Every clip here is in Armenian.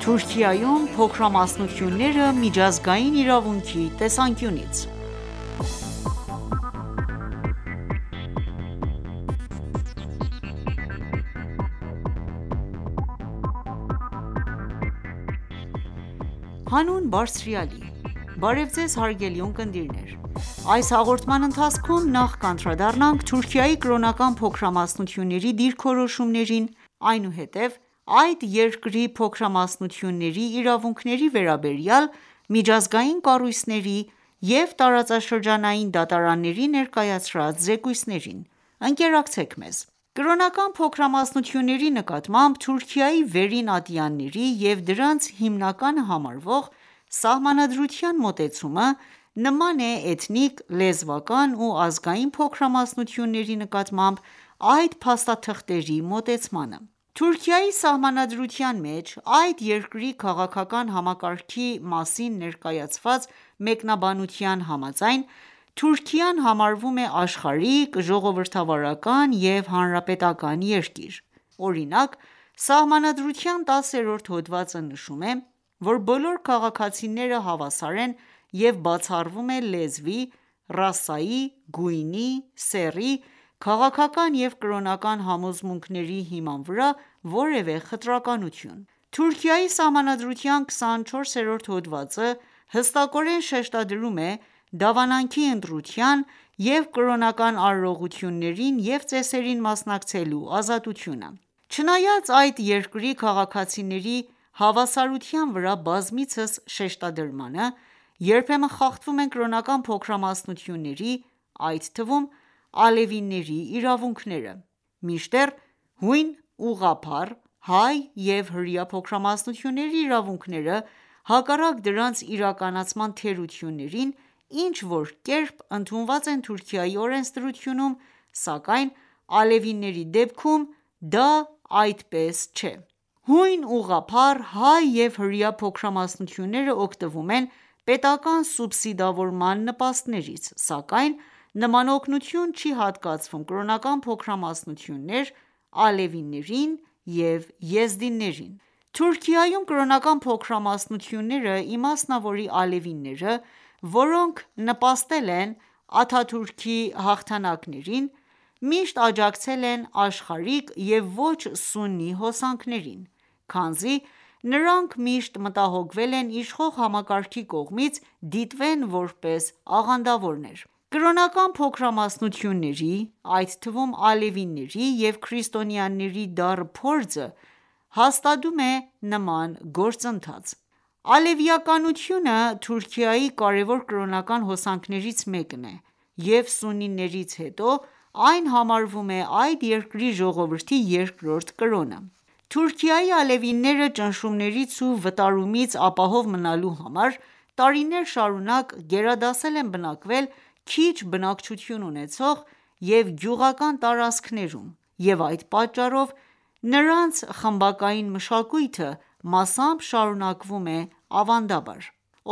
Թուրքիայում փոքրամասնությունները միջազգային իրավունքի տեսանկյունից Հանուն Բարձրյալի Բարև Ձեզ հարգելի ունկնդիրներ: Այս հաղորդման ընթացքում նախ կանդրադառնանք Թուրքիայի կրոնական փոքրամասնությունների դիրքորոշումներին, այնուհետև այդ երկրի փոքրամասնությունների իրավունքների վերաբերյալ միջազգային կառույցների և տարածաշրջանային դատարանների ներկայացրած զեկույցներին: Ընկերակցեք մեզ: Կրոնական փոքրամասնությունների նկատմամբ Թուրքիայի վերին ատյանների և դրանց հիմնականը համարվող Սահմանադրության մոտեցումը նման է էթնիկ, լեզվական ու ազգային փոքրամասնությունների նկատմամբ այդ փաստաթղթերի մոտեցմանը: Թուրքիայի Սահմանադրության մեջ այդ երկրի քաղաքական համակարգի մասին ներկայացված մեկնաբանության համաձայն, Թուրքիան համարվում է աշխարհիկ, ժողովրդավարական և հանրապետական երկիր: Օրինակ, Սահմանադրության 10-րդ հոդվածը նշում է, որ բոլոր քաղաքացիները հավասար են և բացառվում է լեզվի, ռասայի, գույնի, սեռի, քաղաքական և կրոնական համոզմունքների հիման վրա որևէ խտրականություն: Թուրքիայի Սահմանադրության 24-րդ հոդվածը հստակորեն շեշտադրում է դավանանքի ընտրության և կրոնական արարողություններին և ծեսերին մասնակցելու ազատությունը: Չնայած այդ երկրի քաղաքացիների հավասարության վրա բազմիցս շեշտադրմանը, երբեմն խախտվում են կրոնական փոքրամասնությունների, այդ թվում ալևիների իրավունքները: Մինչդեռ հույն, ուղղափառ, հայ և հրեա փոքրամասնությունների իրավունքները, հակառակ դրանց իրականացման թերություններին, ինչ-որ կերպ ընդունված են Թուրքիայի օրենսդրությունում, սակայն ալևիների դեպքում դա այդպես չէ: Հույն, ուղղափառ, հայ և հրեա փոքրամասնությունները օգտվում են պետական սուբսիդավորման նպաստներից, սակայն նման օգնություն չի հատկացվում կրոնական փոքրամասնություններ, ալևիներին և եզդիներին: Թուրքիայում կրոնական փոքրամասնությունները, իմասնավորի ալևիները, որոնք նպաստել են Աթաթուրքի հաղթանակներին, միշտ աջակցել են աշխարհիկ և ոչ սուննի հոսանքներին, քանզի նրանք միշտ մտահոգվել են իշխող համակարգի կողմից դիտվեն որպես աղանդավորներ: Կրոնական փոքրամասնությունների, այդ թվում ալևիների և քրիստոնյաների դառը փորձը հաստատում է նման գործընթաց: Ալևիականությունը Թուրքիայի կարևոր կրոնական հոսանքներից մեկն է և սուննիներից հետո այն համարվում է այդ երկրի ժողովրդի երկրորդ կրոնը: Թուրքիայի ալևինները ճնշումներից ու վտարումից ապահով մնալու համար, տարիներ շարունակ գերադասել են բնակվել քիչ բնակչություն ունեցող և գյուղական տարածքներում և այդ պատճառով նրանց խմբակային մշակույթը մասամբ շարունակվում է ավանդաբար: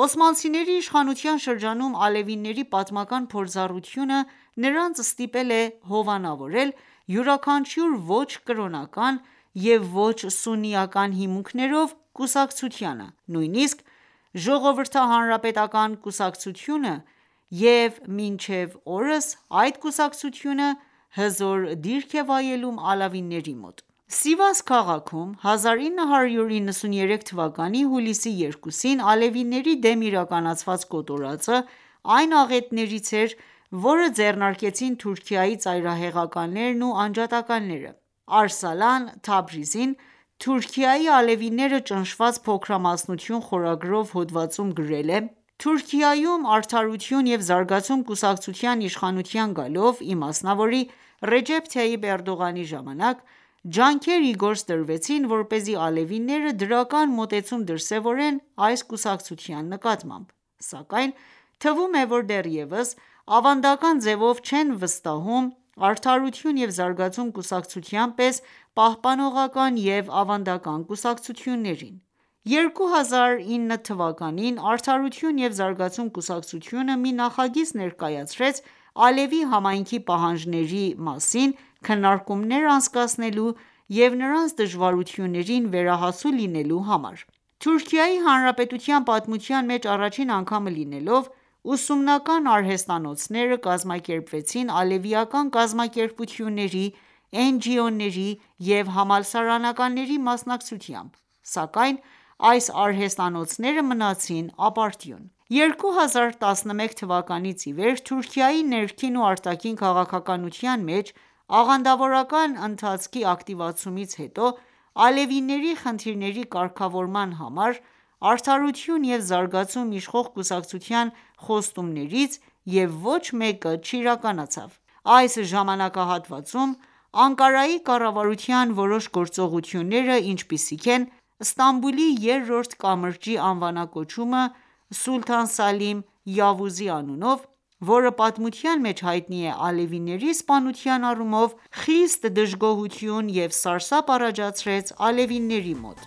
Օսմանցիների իշխանության շրջանում ալևիների պատմական փորձառությունը նրանց ստիպել է հովանավորել յուրաքանչյուր ոչ կրոնական և ոչ սուննիական հիմունքներով կուսակցությանը, նույնիսկ Ժողովրդահանրապետական կուսակցությունը և մինչև օրս այդ կուսակցությունը հզոր դիրք է վայելում ալավիների մոտ: Սիվաս քաղաքում 1993 թվականի հուլիսի 2-ին ալևիների դեմ իրականացված կոտորածը այն աղետներից էր, որը ձեռնարկեցին Թուրքիայի ծայրահեղականներն ու անջատականները: Արսալան Թաբրիզին «Թուրքիայի ալևիները ճնշված փոքրամասնություն» խորագրով հոդվածում գրել է. «Թուրքիայում «Արդարություն և զարգացում» կուսակցության իշխանության գալով, իմասնավորի Ռեջեփ Թայիփ Էրդողանի ժամանակ, ջանքեր ի գործ դրվեցին, որպեսզի ալևիները դրական մոտեցում դրսևորեն այս կուսակցության նկատմամբ: Սակայն թվում է, որ դեռևս ավանդական ձևով չեն վստահում «Արդարություն և զարգացում» կուսակցության պես պահպանողական և ավանդական կուսակցություններին: 2009 թվականին «Արդարություն և զարգացում» կուսակցությունը մի նախագիծ ներկայացրեց ալևի համայնքի պահանջների մասին քննարկումներ անցկացնելու և նրանց դժվարություններին վերահասու լինելու համար: Թուրքիայի Հանրապետության պատմության մեջ առաջին անգամը լինելով, ուսումնական արհեստանոցները կազմակերպվեցին ալևիական կազմակերպությունների, NGO-ների և համալսարանականների մասնակցությամբ, սակայն այս արհեստանոցները մնացին ապարդյուն: 2011 թվականից ի վեր Թուրքիայի ներքին ու արտաքին քաղաքականության մեջ աղանդավորական ընթացքի ակտիվացումից հետո, ալևիների խնդիրների կարգավորման համար «Արդարություն և զարգացում» իշխող կուսակցության խոստումներից և ոչ մեկը չիրականացավ: Այս ժամանակահատվածում Անկարայի կառավարության որոշ գործողությունները, ինչպիսիք են Ստամբուլի երրորդ կամրջի անվանակոչումը Սուլթան Սալիմ Yavuz-ի անունով, որը պատմության մեջ հայտնի է ալևիների սպանության առումով, խիստ դժգոհություն և սարսափ առաջացրեց ալևիների մոտ: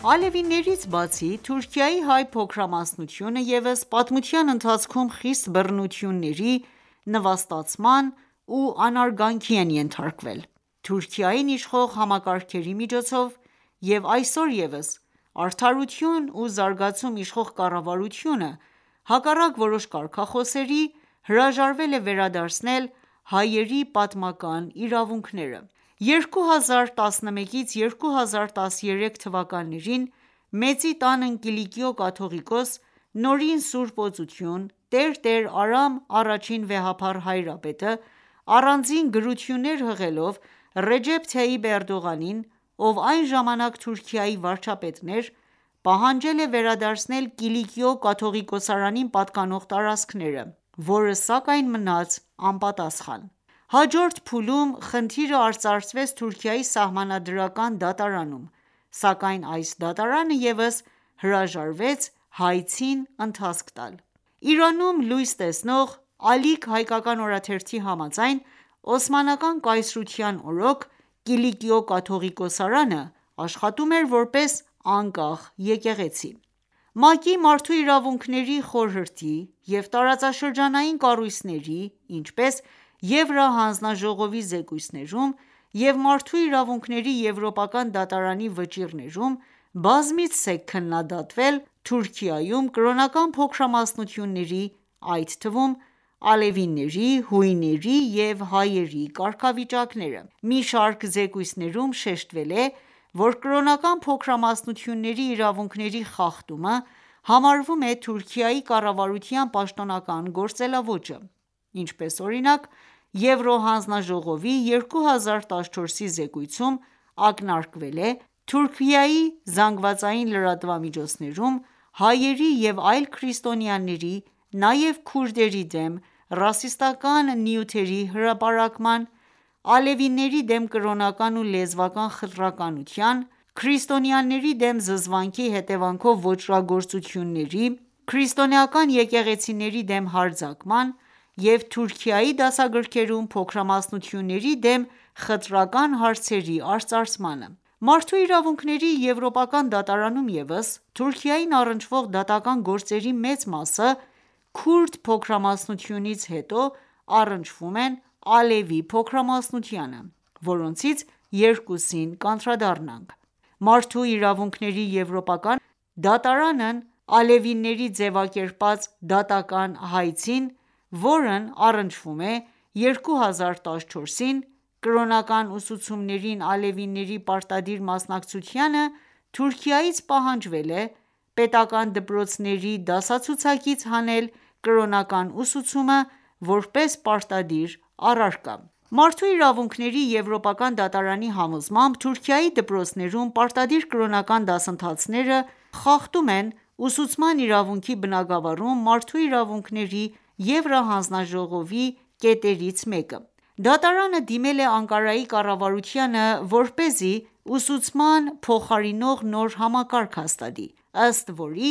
Ալևիներից բացի, Թուրքիայի հայ փոքրամասնությունը ևս պատմության ընթացքում խիստ բռնությունների, նվաստացման ու անարգանքի են ենթարկվել Թուրքիային իշխող համակարգերի միջոցով և այսօր ևս «Արդարություն ու զարգացում» իշխող կառավարությունը, հակառակ որոշ կարգախոսերի, հրաժարվել է վերադարձնել հայերի պատմական իրավունքները: 2011-ից 2013 թվականներին Մեծի տան Կիլիկիո կաթողիկոս Նորին Սուրբ Օծություն Տերտեր Արամ I վեհափառ հայրապետը, առանձին գրություններ հղելով Ռեջեփ Թայիփ Էրդողանին, ով այն ժամանակ Թուրքիայի վարչապետն էր, պահանջել է վերադարձնել Կիլիկիո կաթողիկոսարանին պատկանող տարածքները, որը սակայն մնաց անպատասխան: Հաջորդ փուլում խնդիրը արծարծվեց Թուրքիայի Սահմանադրական դատարանում, սակայն այս դատարանը ևս հրաժարվեց հայցին ընթացք տալ: Իրանում լույս տեսնող «Ալիք» հայկական օրաթերթի համաձայն, Օսմանական կայսրության օրոք Կիլիկիո կաթողիկոսարանը աշխատում էր որպես անկախ եկեղեցի: ՄԱԿ-ի Մարդու իրավունքների խորհրդի և տարածաշրջանային կառույցների, ինչպես Եվրահանձնաժողովի զեկույցներում և Մարդու իրավունքների եվրոպական դատարանի վճիռներում բազմիցս է քննադատվել Թուրքիայում կրոնական փոքրամասնությունների, այդ թվում ալևիների, հույների և հայերի կարգավիճակները: Մի շարք զեկույցներում շեշտվել է, որ կրոնական փոքրամասնությունների իրավունքների խախտումը համարվում է Թուրքիայի կառավարության պաշտոնական գործելաոճը, ինչպես օրինակ Եվրոհանձնաժողովի 2014-ի զեկույցում ակնարկվել է Թուրքիայի ԶԼՄ-ներում հայերի և այլ քրիստոնյաների, նաև քուրդերի դեմ ռասիստական նյութերի հրապարակման, ալևիների դեմ կրոնական ու լեզվական խտրականության, քրիստոնյաների դեմ զզվանքի հետևանքով ոճրագործությունների, քրիստոնեական եկեղեցիների դեմ հարձակման և Թուրքիայի դասագրքերում փոքրամասնությունների դեմ խտրական հարցերի արծարծմանը: Մարդու իրավունքների եվրոպական դատարանում ևս Թուրքիային առնչվող դատական գործերի մեծ մասը քուրդ փոքրամասնությունից հետո առնչվում են ալևի փոքրամասնությանը, որոնցից երկուսին կանդրադառնանք: Մարդու իրավունքների եվրոպական դատարանն ալևիների ձևակերպած դատական հայցին, որն առնչվում է 2014-ին, կրոնական ուսուցումներին ալևիների պարտադիր մասնակցությանը, Թուրքիայից պահանջվել է պետական դպրոցների դասացուցակից հանել կրոնական ուսուցումը, որպես պարտադիր առարկա: Մարդու իրավունքների եվրոպական դատարանի համոզմամբ, Թուրքիայի դպրոցներում պարտադիր կրոնական դասընթացները խախտում են ուսուցման իրավունքի բնագավառում Մարդու իրավունքների եվրահանձնաժողովի կետերից մեկը։ Դատարանը դիմել է Անկարայի կառավարությանը, որպեսզի ուսուցման փոխարինող նոր համակարգ հաստատի, ըստ որի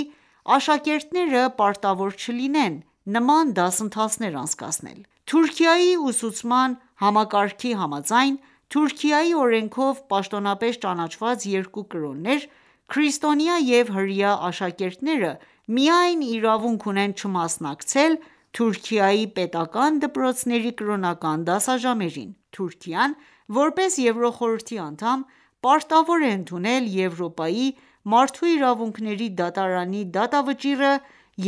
աշակերտները պարտավոր չլինեն նման դասընթացներ անցկացնել։ Թուրքիայի ուսուցման համակարգի համաձայն, Թուրքիայի օրենքով պաշտոնապես ճանաչված երկու կրոններ՝ քրիստոնյա և հրեա աշակերտները միայն իրավունք ունեն չմասնակցել Թուրքիայի պետական դպրոցների կրոնական դասաժամերին։ Թուրքիան, որպես Եվրոխորհրդի անդամ, պարտավոր է ընդունել Եվրոպայի մարդու իրավունքների դատարանի դատավճիռը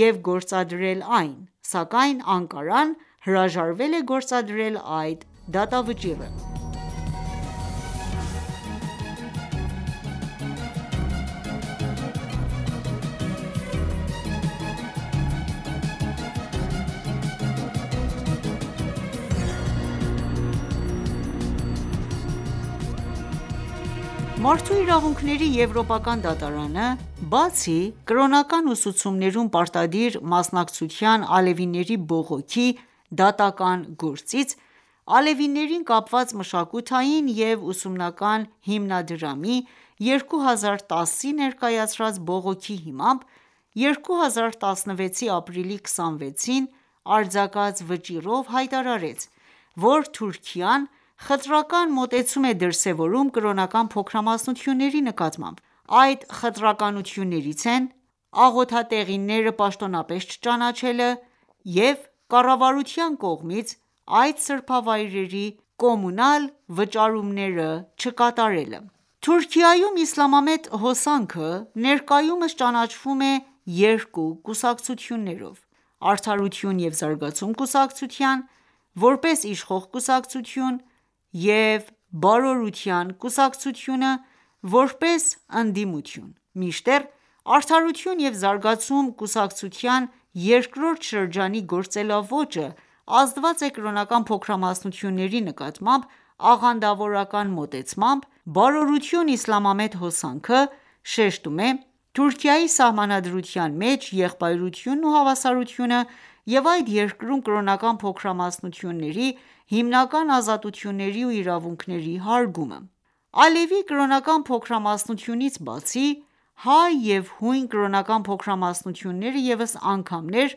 և գործադրել այն, սակայն Անկարան հրաժարվել է գործադրել այդ դատավճիռը։ Մարդու իրավունքների եվրոպական դատարանը, բացի կրոնական ուսուցումներում պարտադիր մասնակցության ալևիների բողոքի դատական գործից, ալևիներին կապված մշակութային և ուսումնական հիմնադրամի 2010-ի ներկայացրած բողոքի հիմամբ, 2016-ի ապրիլի 26-ին արձակած վճիռով հայտարարեց, որ Թուրքիան խտրական մոտեցում է դրսևորում կրոնական փոքրամասնությունների նկատմամբ: Այդ խտրականություններից են աղոթատեղիները պաշտոնապես չճանաչելը և կառավարության կողմից այդ սրբավայրերի կոմունալ վճարումները չկատարելը: Թուրքիայում իսլամամետ հոսանքը ներկայումս ճանաչվում է երկու կուսակցություններով՝ «Արդարություն և զարգացում» կուսակցության, որպես իշխող կուսակցություն և «Բարօրության» կուսակցությունը, որպես ընդդիմություն, մինչդեռ «Արդարություն և զարգացում» կուսակցության երկրորդ շրջանի գործելաոճը ազդված է կրոնական փոքրամասնությունների նկատմամբ աղանդավորական մոտեցմամբ, «Բարօրություն Իսլամամետ հոսանքը» շեշտում է Թուրքիայի Սահմանադրության մեջ եղբայրությունն ու հավասարությունը և այդ երկրում կրոնական փոքրամասնությունների հիմնական ազատությունների ու իրավունքների հարգումը: Ալևի կրոնական փոքրամասնությունից բացի, հայ և հույն կրոնական փոքրամասնությունները ևս անգամներ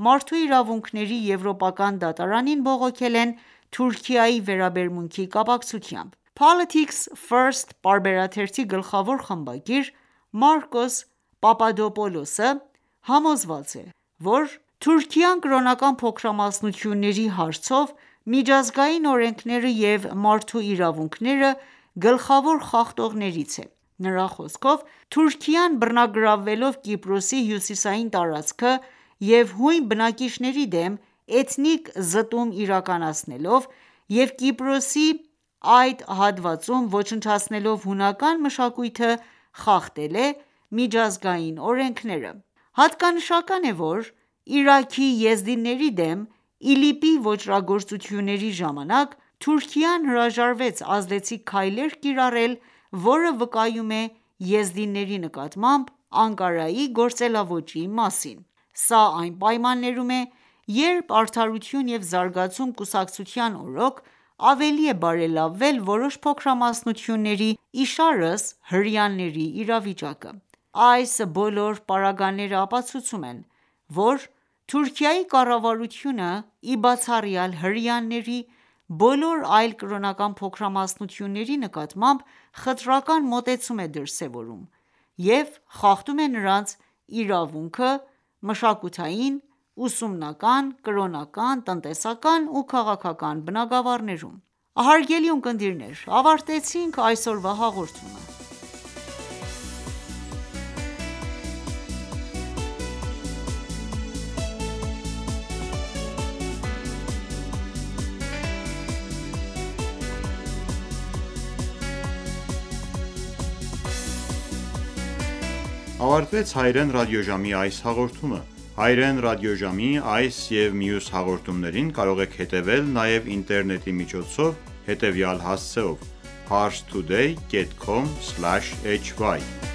մարդու իրավունքների եվրոպական դատարանին բողոքել են Թուրքիայի վերաբերմունքի կապակցությամբ: Politics First պարբերաթերթի գլխավոր խմբագիր Մարկոս Պապադոպոլոսը համոզված է, որ Թուրքիան կրոնական փոքրամասնությունների հարցով միջազգային օրենքները և մարդու իրավունքները գլխավոր խախտողներից է: Նրա խոսքով, Թուրքիան բռնագրավելով Կիպրոսի հյուսիսային տարածքը և հույն բնակիչների դեմ էթնիկ զտում իրականացնելով և Կիպրոսի այդ հատվածում ոչնչացնելով հունական մշակույթը, խախտել է միջազգային օրենքները: Հատկանշական է, որ Իրաքի եզդիների դեմ ԻԼԻՊ-ի ոճրագործությունների ժամանակ Թուրքիան հրաժարվեց ազդեցիկ քայլեր կիրառել, որը վկայում է եզդիների նկատմամբ Անկարայի գործելաոճի մասին: Սա այն պայմաններում է, երբ «Արդարություն և զարգացում» կուսակցության օրոք ավելի է բարելավել որոշ փոքրամասնությունների, իշարս հրեաների իրավիճակը: Այս բոլոր պարագաները ապացուցում են, որ Թուրքիայի կառավարությունը, ի բացառյալ հրեաների, բոլոր այլ կրոնական փոքրամասնությունների նկատմամբ խտրական մոտեցում է դրսևորում և խախտում է նրանց իրավունքը մշակութային, ուսումնական, կրոնական, տնտեսական ու քաղաքական բնագավառներում: Հարգելի ունկնդիրներ, ավարտեցինք այսօրվա հաղորդումը: Ավարտվեց հայրեն ռադիոժամի այս հաղորդումը: Հայրեն ռադիոժամի այս և մյուս հաղորդումներին կարող եք հետևել նաև ինտերնետի միջոցով հետևյալ հասցեով՝ parstoday.com/hy